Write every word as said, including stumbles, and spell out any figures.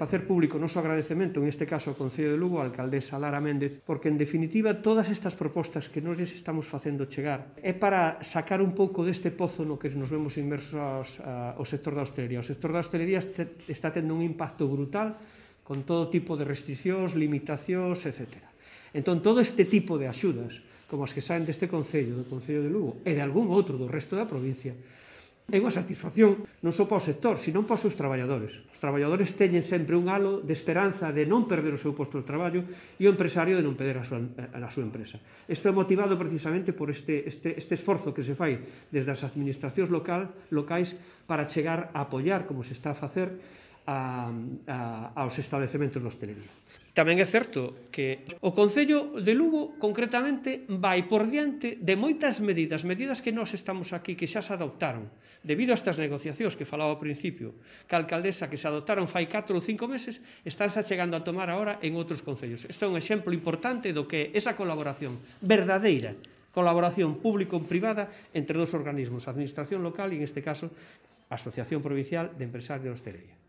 Facer público o noso agradecemento, en este caso ao Concello de Lugo, a alcaldesa Lara Méndez, porque, en definitiva, todas estas propostas que nos estamos facendo chegar é para sacar un pouco deste pozo no que nos vemos inmersos ao sector da hostelería. O sector da hostelería está tendo un impacto brutal con todo tipo de restriccións, limitacións, etcétera. Entón, todo este tipo de axudas, como as que saen deste Concello, do Concello de Lugo, e de algún outro do resto da provincia, é unha satisfacción non só para o sector, sino para os seus traballadores. Os traballadores teñen sempre un halo de esperanza de non perder o seu posto de traballo e o empresario de non perder a súa, a súa empresa. Isto é motivado precisamente por este, este, este esforzo que se fai desde as administracións local, locais para chegar a apoiar, como se está a facer, a, a, aos establecementos de hostelería. Tamén é certo que o Concello de Lugo, concretamente, vai por diante de moitas medidas, medidas que nós estamos aquí, que xa se adoptaron, debido a estas negociacións que falaba ao principio, que a alcaldesa que se adoptaron fai catro ou cinco meses, estánse chegando a tomar agora en outros concellos. Isto é un exemplo importante do que é esa colaboración verdadeira, colaboración público-privada entre dos organismos, a administración local e, en este caso, a Asociación Provincial de Empresarios de Hostelería.